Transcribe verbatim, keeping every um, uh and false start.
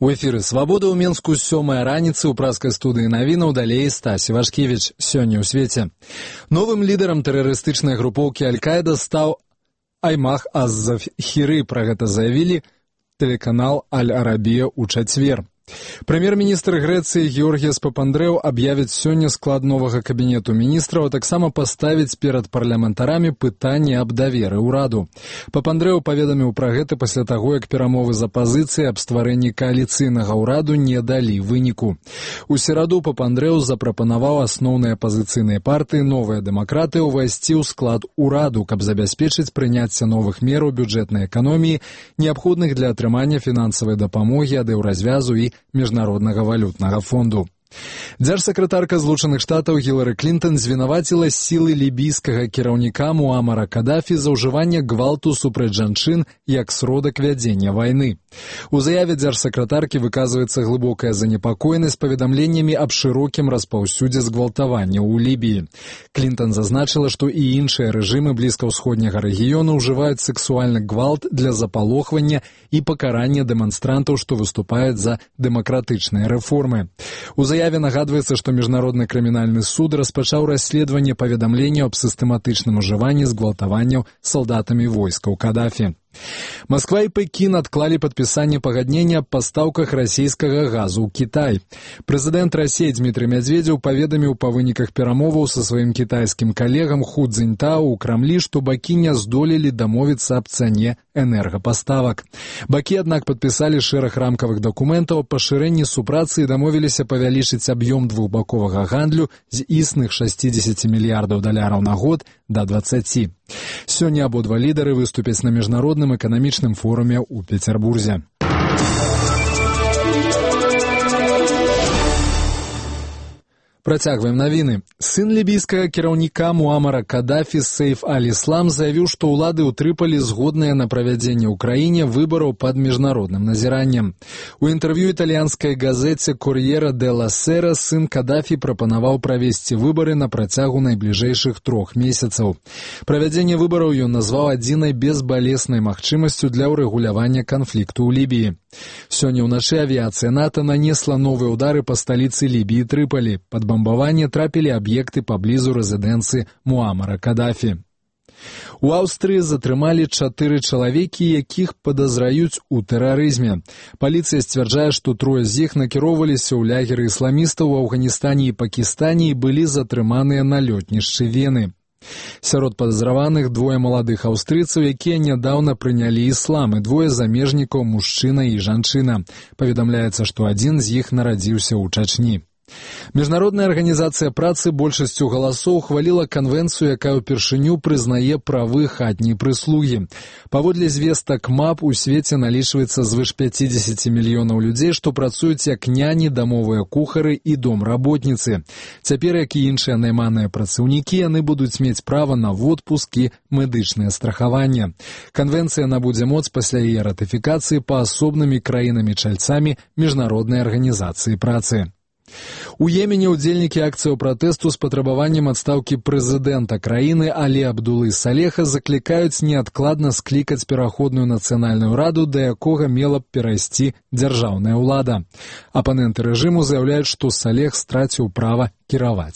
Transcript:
У эфіры «Свабода» ў Менску сёмая раніцы ў праскай студыі навінаў далей Стасі Вашкевіч. Сёння ў свеце. Новым лідарам тэрарыстычнай групоўкі Аль-Каіда стаў Аймах аз-Завхіры. Пра гэта заявілі тэлеканал Аль-Арабія ў чацвер. Прэм'ер-міністр Грэцыі Георгіяс Папандрэў аб'явіць сёння склад новага кабінету міністраў, а таксама паставіць перад парламентарамі пытанне аб даверы ўраду. Папандрэў паведаміў пра гэта пасля таго, як перамовы з апазіцыяй аб стварэнні кааліцыйнага ўраду не далі выніку. У сераду Папандрэў запрапанаваў асноўныя апазіцыйныя партыі «Новыя дэмакраты» увайсці ў склад ураду, каб забяспечыць прыняцце новых мераў бюджэтнай эканоміі, неабходных для атрымання фінансавай дапамогі ад еўразвязу і Міжнароднага валютнага фонду. Дзяржсакратарка Злучаных Штатаў Гілары Клінтон звінаваціла сілы лібійскага кіраўніка Муамара Кадафі за ўжыванне гвалту супраць жанчын як сродак вядзення вайны. У заяве дзяржсакратаркі выказваецца глыбокая занепакоенасць паведамленнямі аб шырокім распаўсюдзе згвалтавання ў Лібіі. Клінтон зазначыла, што і іншыя рэжымы блізкаўсходняга рэгіёну ўжываюць сексуальны гвалт для запалохвання і пакарання дэманстрантаў, што выступаюць за дэмакратычныя рэформы. У заяве нагадваецца, што Міжнародны крымінальны суд распачаў расследаванне паведамленняў аб сістэматычным ужыванні згвалтаванняў салдатамі войскаў Кадафі. Москва і Пекін адклалі падпісанне пагаднення аб пастаўках расійскага газу ў Кітай. Прэзідэнт Расіі Дмітрый Мядзведзеў паведаміў па выніках перамоваў са сваім кітайскім калегам Ху Цзіньтао ў Крамлі, што бакі не здолелі дамовіцца аб цане энергапаставак. Бакі, аднак, падпісалі шэраг рамкавых дакументаў аб пашырэнні супрацы і дамовіліся павялічыць аб'ём двухбаковага гандлю з існых шэсцідзесяці мільярдаў даляраў на год да дваццаці. Сёння абодва лідары выступяць на міжнародным эканамічным форуме ў Пецярбурзе. Працягваем навіны. Сын лібійскага кіраўніка Муамара Кадафі Сейф аль-Іслам заявіў, што ўлады ў Трыполі згодныя на правядзенне ў краіне выбараў пад міжнародным назіраннем. У інтэрв'ю італьянскай газеце «Кор'єра делла Сера» сын Кадафі прапанаваў правесці выбары на працягу найбліжэйшых трох месяцаў. Правядзенне выбараў ён назваў адзінай безбалеснай магчымасцю для ўрэгулявання канфлікту ў Лібіі. Сёння ўначы авіяцыя НАТО нанесла новыя ўдары па сталіцы Лібіі Трыполі. Пад бамбаванне трапілі аб'екты паблізу рэзідэнцыі Муамара Кадафі. У Аўстрыі затрымалі чатыры чалавекі, якіх падазраюць у тэрарызме. Паліцыя сцвярджае, што трое з іх накіроўваліся ў лягеры ісламістаў у Афганістане і Пакістане і былі затрыманыя на лётнішчы Вены. Сярод падазраваных двое маладых аўстрыйцаў, якія нядаўна прынялі іслам, і двое замежнікаў, мужчына і жанчына. Паведамляецца, што адзін з іх нарадзіўся ў Чачні. Міжнародная арганізацыя працы большасцю галасоў ухваліла канвенцыю, якая ўпершыню прызнае правы хатняй прыслугі. Паводле звестак МАП у свеце налічваецца звыш пяцідзесяці мільёнаў людзей, што працуюць як няні, дамовыя кухары і домработніцы. Цяпер, як і іншыя найманыя працаўнікі, яны будуць мець права на водпуск і медычнае страхаванне. Канвенцыя набудзе моц пасля яе ратыфікацыі паасобнымі краінамі-чальцамі Міжнароднай арганізацыі працы. У Йемене ўдзельнікі акцыяў пратэсту з патрабаваннем адстаўкі прэзідэнта краіны Алі Абдулы Салеха заклікаюць неадкладна склікаць пераходную нацыянальную раду, да якога мела б перайсці дзяржаўная ўлада. Апаненты рэжыму заяўляюць, што Салех страціў права кіраваць